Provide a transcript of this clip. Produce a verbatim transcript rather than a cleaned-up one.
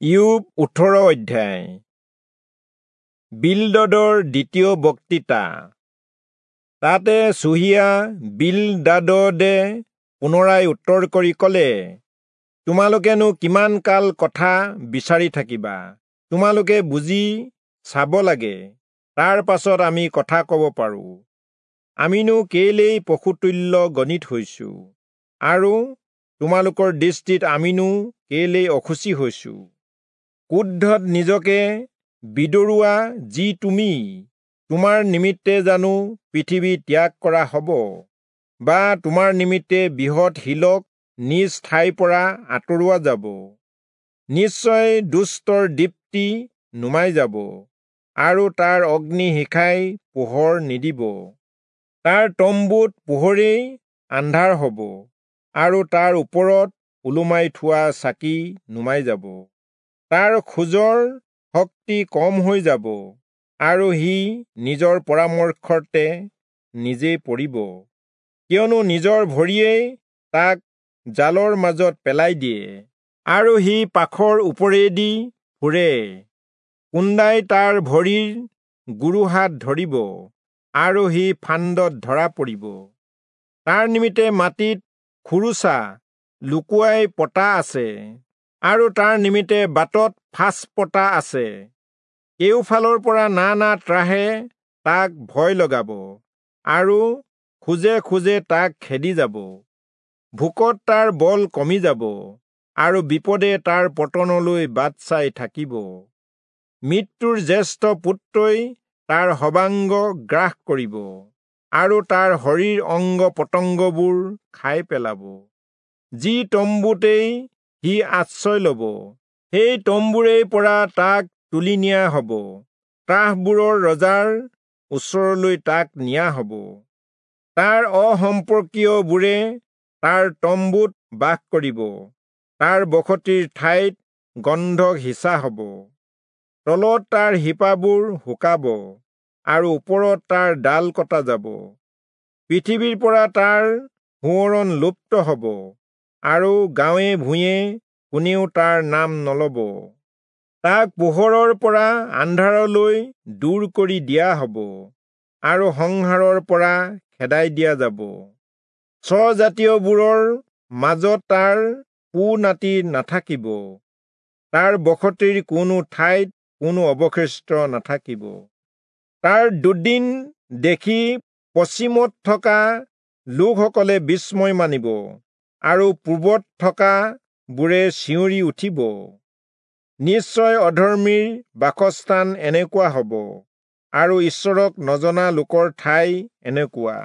ইয়োব ওঠৰ অধ্যায়। বিলদদৰ দ্বিতীয় বক্তৃতা। তাতে চুহীয়া বিলদাদদে পুনৰাই উত্তৰ কৰি কলে, তোমালোকেনো কিমান কাল কথা বিচাৰি থাকিবা? তোমালোকে বুজি চাব লাগে, তাৰ পাছত আমি কথা কব পাৰো। আমিনো কেলেই পশুতুল্য গণিত হৈছো, আৰু তোমালোকৰ দৃষ্টিত আমিনো কেলেই অশুচি হৈছো? ক্ৰোধত নিজকে বিদৰুৱা যি তুমি, তোমাৰ নিমিত্তে জানো পৃথিৱী ত্যাগ কৰা হব, বা তোমাৰ নিমিত্তে বৃহৎ শিলক নিজ ঠাইৰ পৰা আঁতৰোৱা যাব? নিশ্চয় দুষ্টৰ দীপ্তি নুমাই যাব, আৰু তাৰ অগ্নি শিখাই পোহৰ নিদিব। তাৰ তম্বুত পোহৰেই আন্ধাৰ হব, আৰু তাৰ ওপৰত ওলোমাই থোৱা চাকি নুমাই যাব। তাৰ খোজৰ শক্তি কম হৈ যাব, আৰু সি নিজৰ পৰামৰ্শতে নিজেই পৰিব, কিয়নো নিজৰ ভৰিয়েই তাক জালৰ মাজত পেলাই দিয়ে, আৰু সি পাখৰ ওপৰেদি ফুৰে। কুন্দাই তাৰ ভৰিৰ গোৰোহাত ধৰিব, আৰু সি ফান্দত ধৰা পৰিব। তাৰ নিমিত্তে মাটিত খোৰোচা লুকুৱাই পতা আছে, আৰু তাৰ নিমিত্তে বাটত ফাঁচ পতা আছে। কেউফালৰ পৰা নানা ত্ৰাসে তাক ভয় লগাব, আৰু খোজে খোজে তাক খেদি যাব। ভোকত তাৰ বল কমি যাব, আৰু বিপদে তাৰ পতনলৈ বাট চাই থাকিব। মৃত্যুৰ জ্যেষ্ঠ পুত্ৰই তাৰ সৰ্বাংগ গ্ৰাস কৰিব, আৰু তাৰ শৰীৰ অংগ পতংগবোৰ খাই পেলাব। যি তম্বুতেই সি আশ্ৰয় লব, সেই তম্বুৰেই পৰা তাক তুলি নিয়া হব, ত্ৰাসবোৰৰ ৰজাৰ ওচৰলৈ তাক নিয়া হব। তাৰ অসম্পৰ্কীয়বোৰে তাৰ তম্বুত বাস কৰিব, তাৰ বসতিৰ ঠাইত গন্ধক সিঁচা হব। তলত তাৰ শিপাবোৰ শুকাব, আৰু ওপৰত তাৰ ডাল কটা যাব। পৃথিৱীৰ পৰা তাৰ সোঁৱৰণ লুপ্ত হব, আৰু গাঁৱে ভূঞে কোনেও তাৰ নাম নলব। তাক পোহৰৰ পৰা আন্ধাৰলৈ দূৰ কৰি দিয়া হব, আৰু সংহাৰৰ পৰা খেদাই দিয়া যাব। স্বজাতীয়বোৰৰ মাজত তাৰ পু নাতি নাথাকিব, তাৰ বসতিৰ কোনো ঠাইত কোনো অৱশিষ্ট নাথাকিব। তাৰ দুদিন দেখি পশ্চিমত থকা লোকসকলে বিস্ময় মানিব, আৰু পূৰ্বত থকা বোৰে চিঞৰি উঠিব। নিশ্চয় অধৰ্মীৰ বাসস্থান এনেকুৱা হব, আৰু ঈশ্বৰক নজনা লোকৰ ঠাই এনেকুৱা।